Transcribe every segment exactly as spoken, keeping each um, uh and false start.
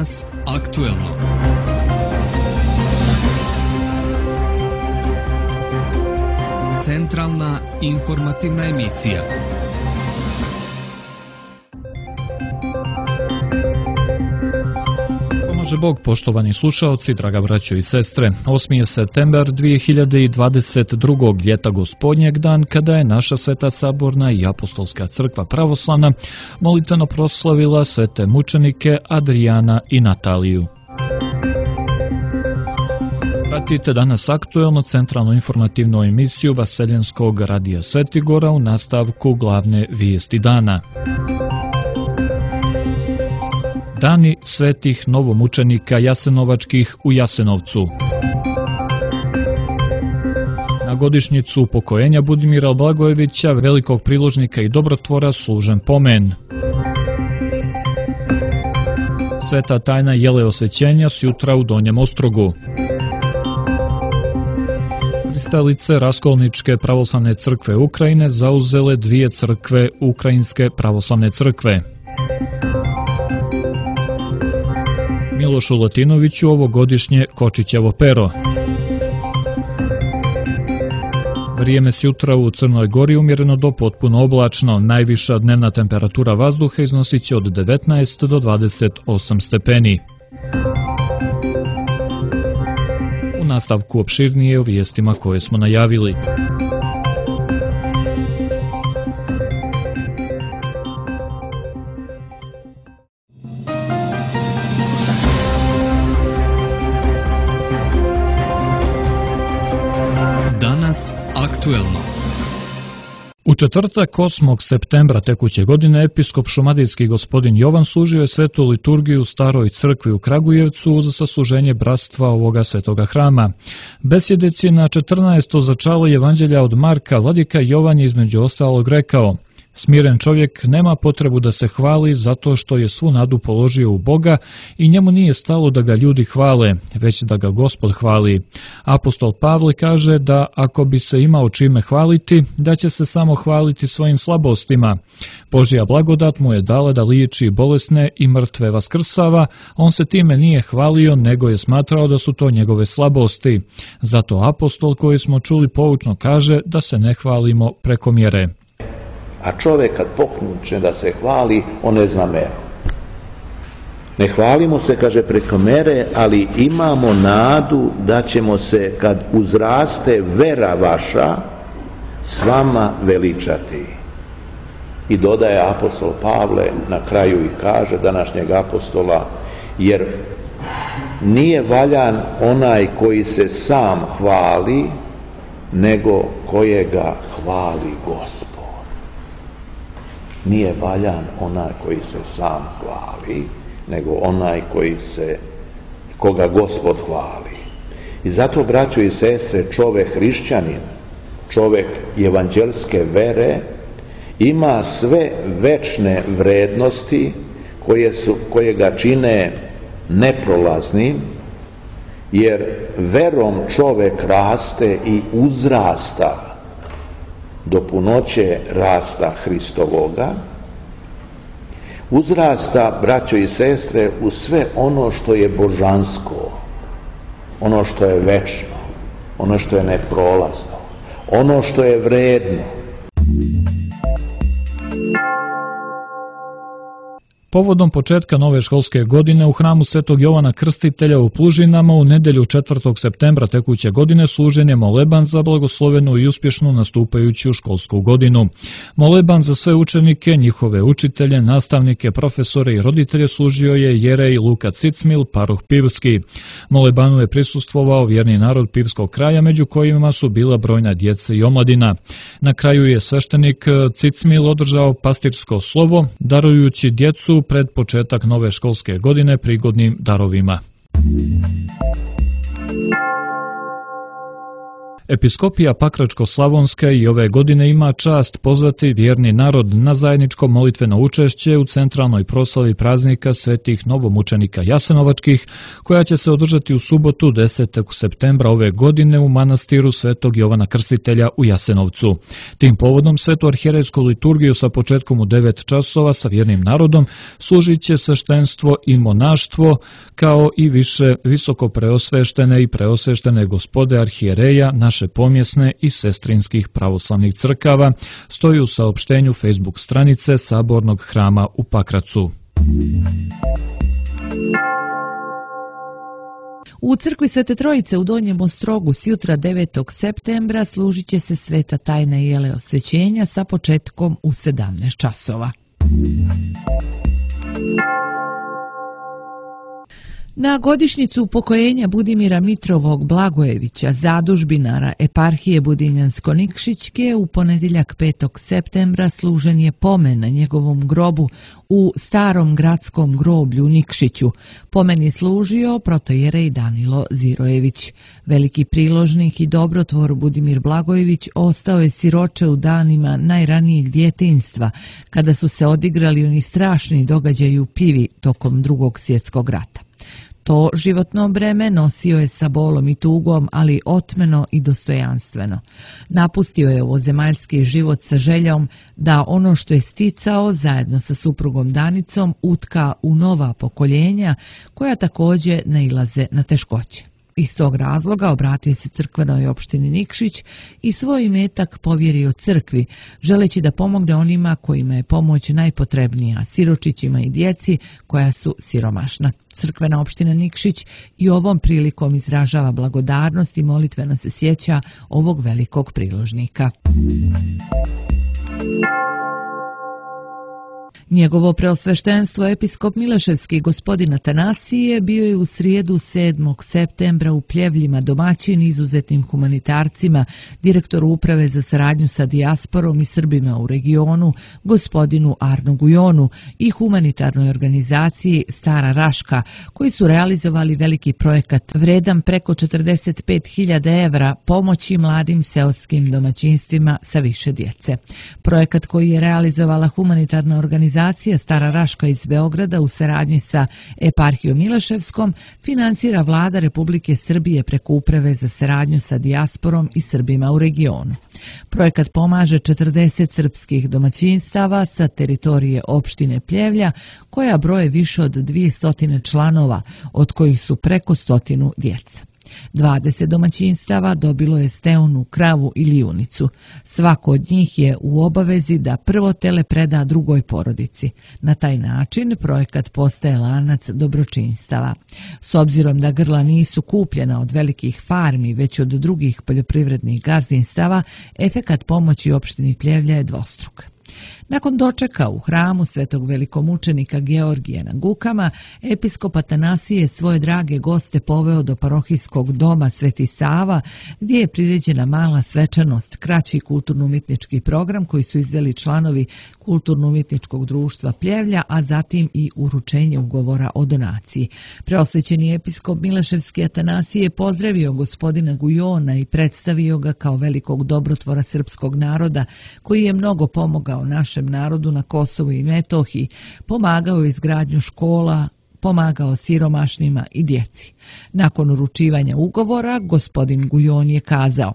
Danas aktuelno. Centralna informativna emisija. Pomaže Bog, poštovani slušaoci, draga braćo i sestre. osmi je septembar dvije hiljade dvadeset drugog. ljeta gospodnjeg dan, kada je naša Sveta Saborna i Apostolska crkva pravoslavna molitveno proslavila svete mučenike Adrijana i Nataliju. Pratite danas aktuelno centralnu informativnu emisiju Vaseljenskog radija Svetigora u nastavku glavne vijesti dana. Dani svetih novomučenika jasenovačkih u Jasenovcu. Na godišnjicu upokojenja Budimira Blagojevića, velikog priložnika i dobrotvora, služen pomen. Sveta tajna jele osvećenja sjutra u Donjem Ostrogu. Pristalice Raskolničke pravoslavne crkve Ukrajine zauzele dvije crkve Ukrajinske pravoslavne crkve. Milošu Latinoviću ovogodišnje Kočićevo pero. Vrijeme sjutra u Crnoj Gori umjereno do potpuno oblačno. Najviša dnevna temperatura vazduha iznosit će od devetnaest do dvadeset osam stepeni. U nastavku opširnije o vijestima koje smo najavili. Danas aktuelno. U četvrtak osmog septembra tekuće godine episkop šumadijski gospodin Jovan služio je svetu liturgiju u Staroj crkvi u Kragujevcu uz sasluženje bratstva ovoga svetoga hrama. Besjedeći na četrnaesto začalo Evanđelja od Marka, vladika Jovan je između ostalog rekao: smiren čovjek nema potrebu da se hvali zato što je svu nadu položio u Boga i njemu nije stalo da ga ljudi hvale, već da ga Gospod hvali. Apostol Pavle kaže da ako bi se imao čime hvaliti, da će se samo hvaliti svojim slabostima. Božja blagodat mu je dala da liječi bolesne i mrtve vaskrsava, on se time nije hvalio, nego je smatrao da su to njegove slabosti. Zato apostol koji smo čuli poučno kaže da se ne hvalimo preko mjere. A čovjek kad pokreće da se hvali, on ne zna meru. Ne hvalimo se, kaže, preko mere, ali imamo nadu da ćemo se, kad uzraste vera vaša, s vama veličati. I dodaje apostol Pavle na kraju i kaže današnjeg apostola, jer nije valjan onaj koji se sam hvali, nego kojega hvali Gospod. Nije valjan onaj koji se sam hvali, nego onaj koji se, koga Gospod hvali. I zato, braćo i sestre, čovjek hrišćanin, čovjek evanđelske vere, ima sve večne vrednosti koje, su, koje ga čine neprolaznim, jer verom čovjek raste i uzrasta do punoće rasta Hristovoga, uzrasta, braćo i sestre, u sve ono što je božansko, ono što je večno, ono što je neprolazno, ono što je vredno. Povodom početka nove školske godine u hramu Svetog Jovana Krstitelja u Plužinama u nedjelju četvrtog septembra tekuće godine služen je moleban za blagoslovenu i uspješnu nastupajuću školsku godinu. Moleban za sve učenike, njihove učitelje, nastavnike, profesore i roditelje služio je jerej Luka Cicmil, paroh Pivski. Molebanu je prisustvovao vjerni narod Pivskog kraja, među kojima su bila brojna djeca i omladina. Na kraju je sveštenik Cicmil održao pastirsko slovo, darujući djecu pred početak nove školske godine prigodnim darovima. Episkopija Pakračko-slavonska i ove godine ima čast pozvati vjerni narod na zajedničko molitveno učešće u centralnoj proslavi praznika svetih novomučenika Jasenovačkih, koja će se održati u subotu desetog septembra ove godine u manastiru Svetog Jovana Krstitelja u Jasenovcu. Tim povodom svetu arhijerejsku liturgiju sa početkom u devet časova sa vjernim narodom služit će sveštenstvo i monaštvo, kao i više visoko preosveštene i preosveštene gospode arhijereja naše pomjesne i sestrinskih pravoslavnih crkava, stoji u saopštenju Facebook stranice Sabornog hrama u Pakracu. U crkvi Svete Trojice u Donjem Ostrogu sjutra devetog septembra služit će se sveta tajna jele osvećenja sa početkom u sedamnaest časova. Na godišnjicu upokojenja Budimira Mitrovog Blagojevića, zadužbinara eparhije Budimljansko-Nikšićke, u ponedjeljak petog septembra služen je pomen na njegovom grobu u starom gradskom groblju u Nikšiću. Pomen je služio protojerej Danilo Zirojević. Veliki priložnik i dobrotvor Budimir Blagojević ostao je siroče u danima najranijeg djetinjstva, kada su se odigrali oni strašni događaji u Pivi tokom Drugog svjetskog rata. To životno breme nosio je sa bolom i tugom, ali otmeno i dostojanstveno. Napustio je ovozemaljski život sa željom da ono što je sticao zajedno sa suprugom Danicom utka u nova pokoljenja koja također nailaze na teškoće. Iz tog razloga obratio se crkvenoj opštini Nikšić i svoj imetak povjerio crkvi, želeći da pomogne onima kojima je pomoć najpotrebnija, siročićima i djeci koja su siromašna. Crkvena opština Nikšić i ovom prilikom izražava blagodarnost i molitveno se sjeća ovog velikog priložnika. Njegovo preosveštenstvo episkop Mileševski gospodin Atanasije bio je u srijedu sedmog septembra u Pljevljima domaćin izuzetnim humanitarcima, direktoru uprave za saradnju sa dijasporom i Srbima u regionu, gospodinu Arno Gujonu, i humanitarnoj organizaciji Stara Raška, koji su realizovali veliki projekat vredan preko četrdeset pet hiljada evra pomoći mladim seoskim domaćinstvima sa više djece. Projekat koji je realizovala humanitarna organizacija Stara Raška iz Beograda u saradnji sa eparhijom Mileševskom finansira Vlada Republike Srbije preko uprave za saradnju sa dijasporom i Srbima u regionu. Projekat pomaže četrdeset srpskih domaćinstava sa teritorije opštine Pljevlja, koja broje više od dvjesto članova, od kojih su preko stotinu djeca. dvadeset domaćinstava dobilo je steonu, kravu ili junicu. Svako od njih je u obavezi da prvo tele preda drugoj porodici. Na taj način projekat postaje lanac dobročinstava. S obzirom da grla nisu kupljena od velikih farmi, već od drugih poljoprivrednih gazdinstava, efekat pomoći opštini Pljevlja je dvostruk. Nakon dočeka u hramu svetog velikomučenika Georgija na Gukama, episkop Atanasije svoje drage goste poveo do parohijskog doma Sveti Sava, gdje je priređena mala svečanost, kraći kulturno-umjetnički program koji su izveli članovi Kulturno-umjetničkog društva Pljevlja, a zatim i uručenje ugovora o donaciji. Preosvećeni episkop Mileševski Atanasije pozdravio gospodina Gujona i predstavio ga kao velikog dobrotvora srpskog naroda, koji je mnogo pomogao našem narodu na Kosovu i Metohiji, pomagao u izgradnju škola, pomagao siromašnima i djeci. Nakon uručivanja ugovora, gospodin Gujon je kazao: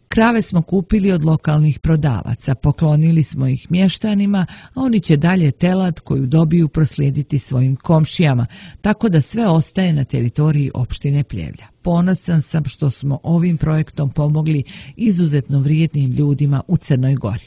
krave smo kupili od lokalnih prodavaca, poklonili smo ih mještanima, a oni će dalje telad koju dobiju proslijediti svojim komšijama, tako da sve ostaje na teritoriji opštine Pljevlja. Ponosan sam što smo ovim projektom pomogli izuzetno vrijednim ljudima u Crnoj Gori.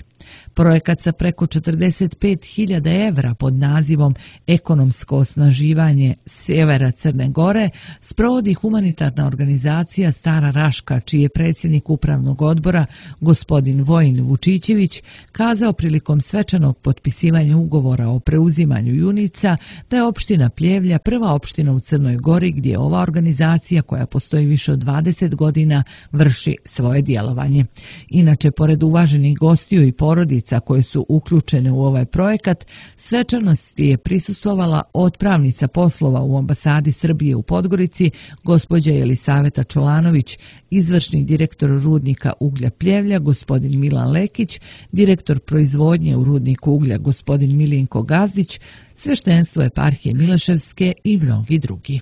Projekat sa preko četrdeset pet hiljada evra pod nazivom Ekonomsko osnaživanje sjevera Crne Gore sprovodi humanitarna organizacija Stara Raška, čiji je predsjednik upravnog odbora gospodin Vojin Vučićević kazao prilikom svečanog potpisivanja ugovora o preuzimanju junica da je opština Pljevlja prva opština u Crnoj Gori gdje ova organizacija, koja postoji više od dvadeset godina, vrši svoje djelovanje. Inače, pored uvaženih gostiju i porodica porodica koje su uključene u ovaj projekat, svečanosti je prisustvovala otpravnica poslova u ambasadi Srbije u Podgorici, gospođa Jelisaveta Čolanović, izvršni direktor rudnika uglja Pljevlja, gospodin Milan Lekić, direktor proizvodnje u rudniku uglja, gospodin Milinko Gazdić, sveštenstvo eparhije Mileševske i mnogi drugi.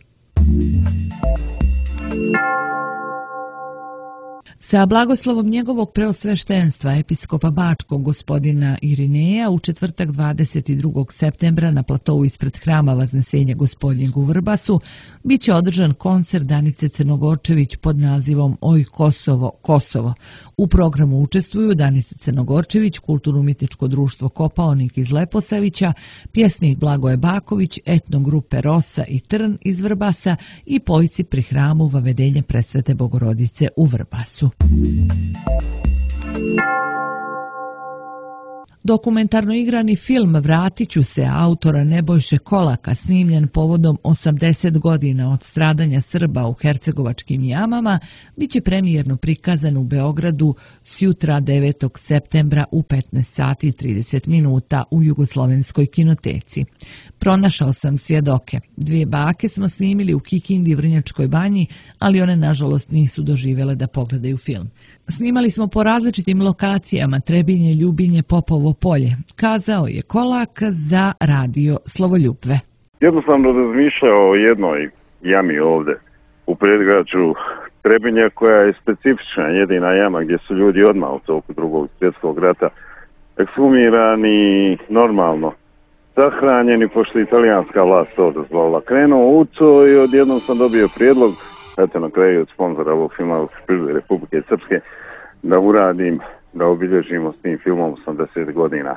Sa blagoslovom njegovog preosveštenstva episkopa Bačkog gospodina Irineja u četvrtak dvadeset drugog septembra na platovu ispred hrama Vaznesenja Gospodnjeg u Vrbasu bit će održan koncert Danice Crnogorčević pod nazivom Oj Kosovo, Kosovo. U programu učestvuju Danica Crnogorčević, Kulturno-umjetničko društvo Kopaonik iz Leposavića, pjesnik Blagoje Baković, etnogrupe Rosa i Trn iz Vrbasa i pojci pri hramu Vavedenja Presvete Bogorodice u Vrbasu. Dokumentarno igrani film Vratit ću se autora Nebojše Kolaka, snimljen povodom osamdeset godina od stradanja Srba u hercegovačkim jamama, bit će premijerno prikazan u Beogradu sjutra devetog septembra u petnaest sati i trideset minuta u Jugoslovenskoj kinoteci. Pronašao sam svjedoke. Dvije bake smo snimili u Kikindi, Vrnjačkoj banji, ali one nažalost nisu doživjele da pogledaju film. Snimali smo po različitim lokacijama, Trebinje, Ljubinje, Popovo polje, kazao je Kolak za radio Slovoljubve. Jednostavno razmišljao o jednoj jami ovde u predgrađu Trebinja koja je specifična, jedina jama gdje su ljudi odmah u toku drugog svjetskog rata ekshumirani normalno sahranjeni, pošto italijanska vlast to dozvolila. Krenuo u to i odjednom sam dobio prijedlog, eto na kraju od sponzora ovog filma Republike Srpske, da uradim, da obilježimo s tim filmom osamdeset godina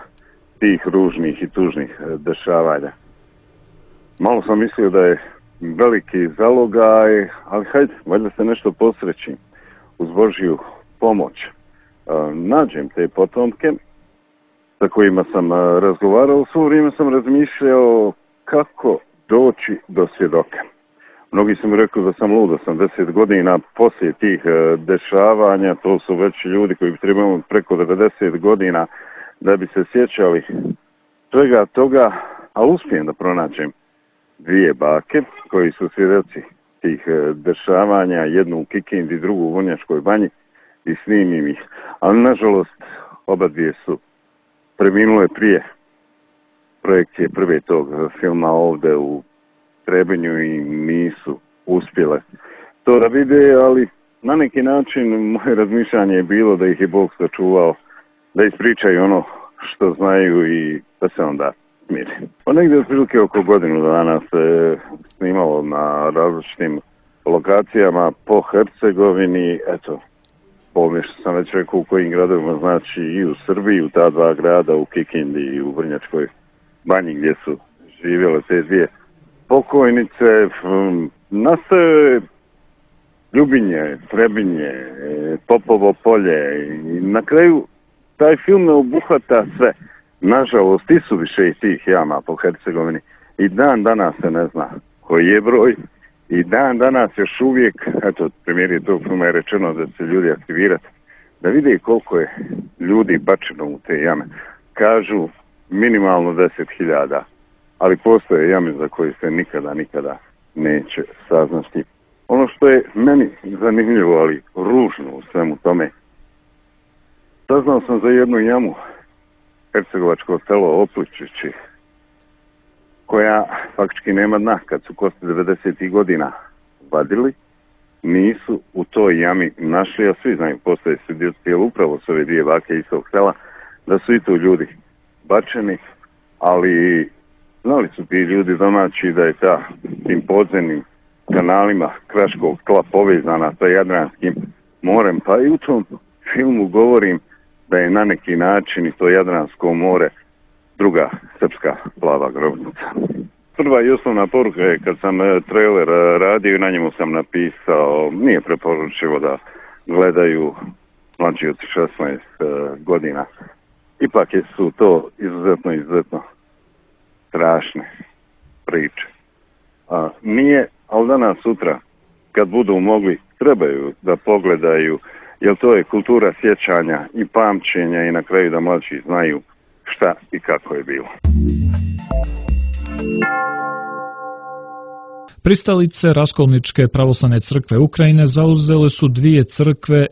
tih ružnih i tužnih dešavanja. Malo sam mislio da je veliki zalogaj, ali hajde, valjda se nešto posreći uz Božju pomoć. Nađem te potomke sa kojima sam razgovarao, svo vrijeme sam razmišljao kako doći do svjedoka. Mnogi su mi rekli da sam lud, osamdeset godina poslije tih dešavanja, to su već ljudi koji bi trebali preko devedeset godina da bi se sjećali svega toga, ali uspijem da pronađem dvije bake koji su svjedoci tih dešavanja, jednu u Kikindi, drugu u Vrnjačkoj banji i snimim ih. Ali nažalost oba dvije su preminule prije projekcije prve tog filma ovde u Trebinju i nisu uspjele to da vide, ali na neki način moje razmišljanje je bilo da ih je Bog sačuvao, da ispričaju ono što znaju i da se onda smiri. Pa negdje otprilike oko godinu dana se snimalo na različitim lokacijama po Hercegovini, eto, po što sam već rekao u kojim gradovima, znači i u Srbiji, u ta dva grada, u Kikindi i u Vrnjačkoj banji gdje su živjele te dvije pokojnice. Nastaje Ljubinje, Trebinje, Popovo polje i na kraju taj film ne obuhvata sve. Nažalost, i su više i tih jama po Hercegovini i dan danas se ne zna koji je broj i dan danas još uvijek, eto, premijeri tog filma je rečeno da će ljudi aktivirati, da vide koliko je ljudi bačeno u te jame. Kažu minimalno deset hiljada, ali postoje jame za koje se nikada, nikada neće saznati. Ono što je meni zanimljivo, ali ružno u svemu tome, saznao sam za jednu jamu, hercegovačko selo Opličići, koja faktički nema dna. Kad su kosti devedesetih godina vadili, nisu u toj jami našli, a svi znaju, postoje svjedoci, jer upravo su ove dvije bake iz tog sela, da su i tu ljudi bačeni, ali znali su ti ljudi domaći da je ta tim podzemnim kanalima kraškog tla povezana sa Jadranskim morem, pa i u tom filmu govorim da je na neki način i to Jadransko more druga srpska plava grobnica. Prva i osnovna poruka je kad sam trailer radio, na njemu sam napisao, nije preporučivo da gledaju mlađi od šesnaest godina. Ipak su to izuzetno, izuzetno strašne priče. A, nije, ali danas sutra, kad budu mogli, trebaju da pogledaju, jer to je kultura sjećanja i pamćenja i na kraju da mlađi znaju šta i kako je bilo. Pristalice Raskolničke pravoslavne crkve Ukrajine zauzele su dvije crkve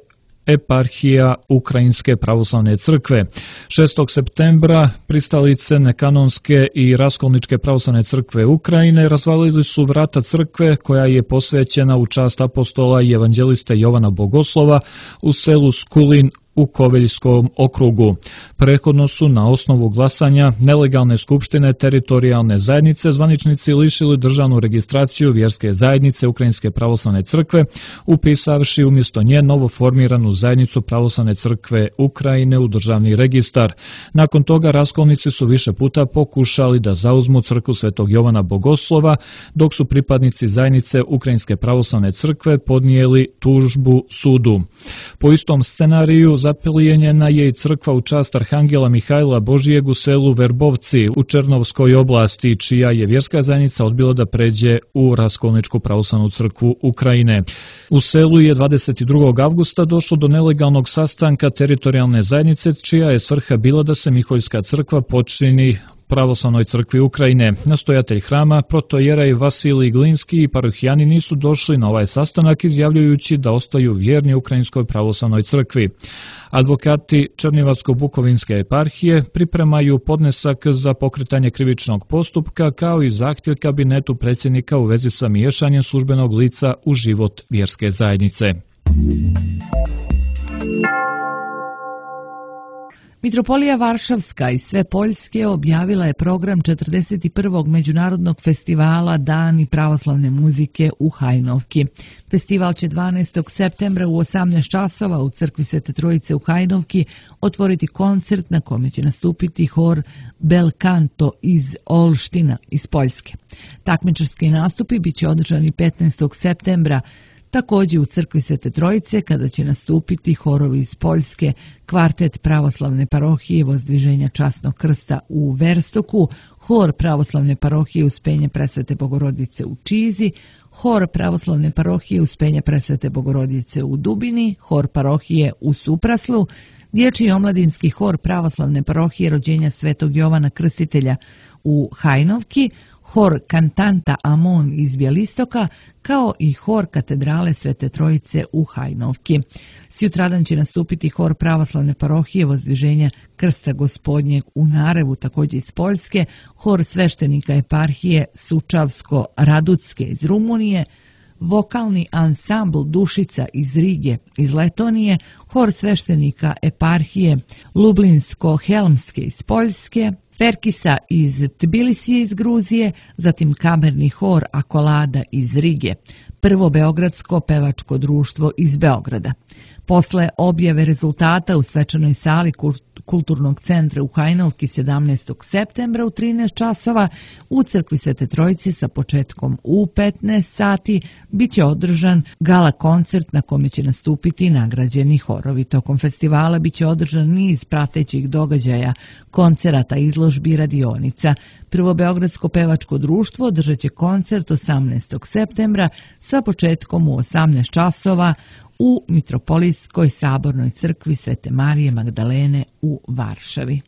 eparhija Ukrajinske pravoslavne crkve. šestog septembra pristalice Nekanonske i Raskolničke pravoslavne crkve Ukrajine razvalili su vrata crkve koja je posvećena u čast apostola i evanđeliste Jovana Bogoslova u selu Skulin u Koveljskom okrugu. Prethodno su na osnovu glasanja nelegalne skupštine teritorijalne zajednice zvaničnici lišili državnu registraciju vjerske zajednice Ukrajinske pravoslavne crkve, upisavši umjesto nje novoformiranu zajednicu pravoslavne crkve Ukrajine u državni registar. Nakon toga raskolnici su više puta pokušali da zauzmu crkvu Svetog Jovana Bogoslova, dok su pripadnici zajednice Ukrajinske pravoslavne crkve podnijeli tužbu sudu. Po istom scenariju zapelijenjena je i crkva u čast Arhangela Mihajla Božijeg u selu Verbovci u Černovskoj oblasti, čija je vjerska zajednica odbila da pređe u Raskolničku pravoslavnu crkvu Ukrajine. U selu je dvadeset drugog avgusta došlo do nelegalnog sastanka teritorijalne zajednice, čija je svrha bila da se Miholjska crkva počini pravoslavnoj crkvi Ukrajine. Nastojatelj hrama, protojeraj Vasilij Glinski i parohijani nisu došli na ovaj sastanak, izjavljujući da ostaju vjerni Ukrajinskoj pravoslavnoj crkvi. Advokati Černijevačko-Bukovinske eparhije pripremaju podnesak za pokretanje krivičnog postupka kao i zahtjev kabinetu predsjednika u vezi sa miješanjem službenog lica u život vjerske zajednice. Mitropolija Varšavska i sve Poljske objavila je program četrdeset prvog Međunarodnog festivala Dani pravoslavne muzike u Hajnovki. Festival će dvanaestog septembra u osamnaest časova u crkvi Svete Trojice u Hajnovki otvoriti koncert na kome će nastupiti hor Belkanto iz Olština iz Poljske. Takmičarski nastupi bit će održani petnaestog septembra također u crkvi Svete Trojice, kada će nastupiti horovi iz Poljske, kvartet pravoslavne parohije Vozdviženja časnog krsta u Verstoku, hor pravoslavne parohije Uspenja Presvete Bogorodice u Čizi, hor pravoslavne parohije Uspenja Presvete Bogorodice u Dubini, hor parohije u Supraslu, dječji omladinski hor pravoslavne parohije Rođenja Svetog Jovana Krstitelja u Hajnovki, hor Kantanta Amon iz Bjelistoka, kao i hor Katedrale Svete Trojice u Hajnovki. Sutradan će nastupiti hor pravoslavne parohije Vozdviženja Krsta Gospodnjeg u Narevu, također iz Poljske, hor sveštenika eparhije Sučavsko-Radutske iz Rumunije, vokalni ansambl Dušica iz Rige iz Letonije, hor sveštenika eparhije Lublinsko-Helmske iz Poljske, Ferkisa iz Tbilisije iz Gruzije, zatim kamerni hor Akolada iz Rige, prvo beogradsko pevačko društvo iz Beograda. Posle objave rezultata u svečanoj sali Kulturnog centra u Hajnovki sedamnaestog septembra u trinaest časova u crkvi Svete Trojice sa početkom u petnaest sati bit će održan gala koncert na kome će nastupiti nagrađeni horovi. Tokom festivala bit će održan niz pratećih događaja, koncerata, izložbi i radionica. Prvo beogradsko pevačko društvo održat će koncert osamnaestog septembra sa početkom u osamnaest časova u Mitropolijskoj sabornoj crkvi Svete Marije Magdalene u Varšavi.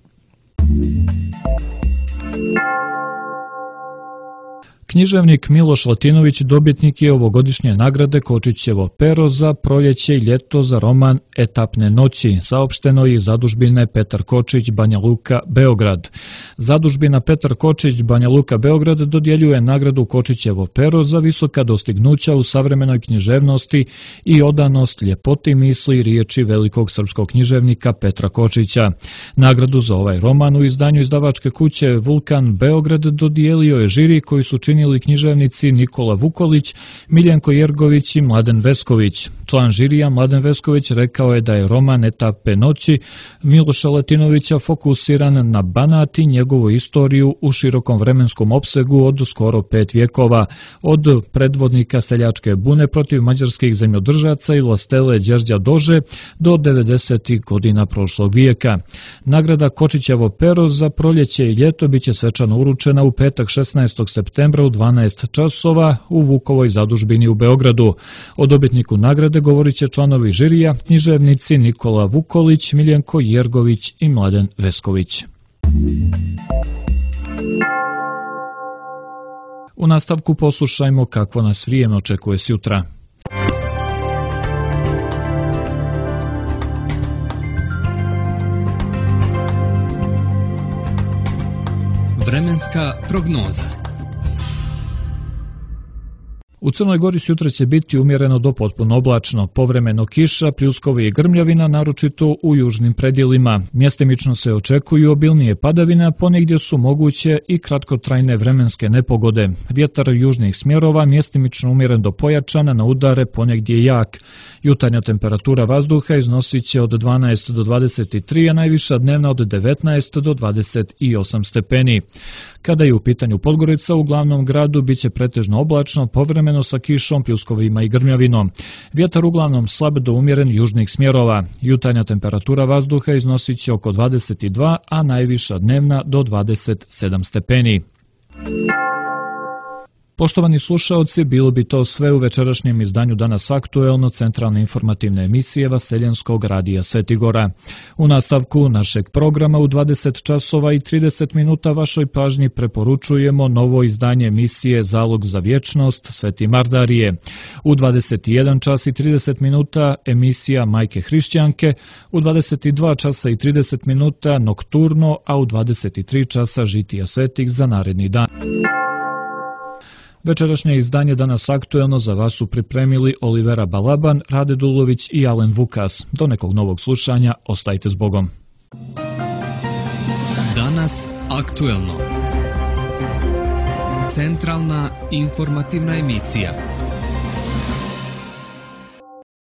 Književnik Miloš Latinović dobitnik je ovogodišnje nagrade Kočićevo pero za proljeće i ljeto za roman Etapne noći, saopšteno iz zadužbine Petar Kočić, Banja Luka, Beograd. Zadužbina Petar Kočić, Banja Luka, Beograd dodjeljuje nagradu Kočićevo pero za visoka dostignuća u savremenoj književnosti i odanost ljepoti misli i riječi velikog srpskog književnika Petra Kočića. Nagradu za ovaj roman u izdanju izdavačke kuće Vulkan Beograd dodijelio je žiri koji su činili književnici Nikola Vukolić, Miljenko Jergović i Mladen Vesković. Član žirija Mladen Vesković rekao je da je roman Etape noći Miloša Latinovića fokusiran na Banat i njegovu istoriju u širokom vremenskom opsegu od skoro pet vjekova, od predvodnika seljačke bune protiv mađarskih zemljodržaca i vlastele Đerđa Dože do devedesetih godina prošlog vijeka. Nagrada Kočićevo pero za proljeće i ljeto biće svečano uručena u petak šesnaestog septembra u dvanaest časova u Vukovoj zadužbini u Beogradu. O dobitniku nagrade govorit će članovi žirija, književnici Nikola Vukolić, Miljenko Jergović i Mladen Vesković. U nastavku poslušajmo kakvo nas vrijeme očekuje sutra. Vremenska prognoza. U Crnoj Gori sutra će biti umjereno do potpuno oblačno, povremeno kiša, pljuskovi i grmljavina, naročito u južnim predjelima. Mjestimično se očekuju obilnije padavine, a ponegdje su moguće i kratkotrajne vremenske nepogode. Vjetar južnih smjerova mjestimično umjeren do pojačana, na udare ponegdje jak. Jutarnja temperatura vazduha iznosit će od dvanaest do dvadeset tri, a najviša dnevna od devetnaest do dvadeset osam stepeni. Kada je u pitanju Podgorica, u glavnom gradu bit će pretežno oblačno, povremeno sa kišom, pljuskovima i grmljavinom. Vjetar uglavnom slab do umjeren južnih smjerova. Jutarnja temperatura vazduha iznosit će oko dvadeset dva, a najviša dnevna do dvadeset sedam stepeni. Poštovani slušaoci, bilo bi to sve u večerašnjem izdanju Danas aktuelno centralne informativne emisije Vaseljenskog radija Svetigora. U nastavku našeg programa u dvadeset časova i trideset minuta vašoj pažnji preporučujemo novo izdanje emisije Zalog za vječnost Sveti Mardarije. U dvadeset jedan čas i trideset minuta emisija Majke Hrišćanke, u dvadeset dva časa i trideset minuta Nokturno, a u dvadeset tri časa Žitija svetih za naredni dan. Večerašnje izdanje Danas aktuelno za vas su pripremili Olivera Balaban, Rade Dulović i Alen Vukas. Do nekog novog slušanja, ostajte s Bogom. Danas aktuelno. Centralna informativna emisija.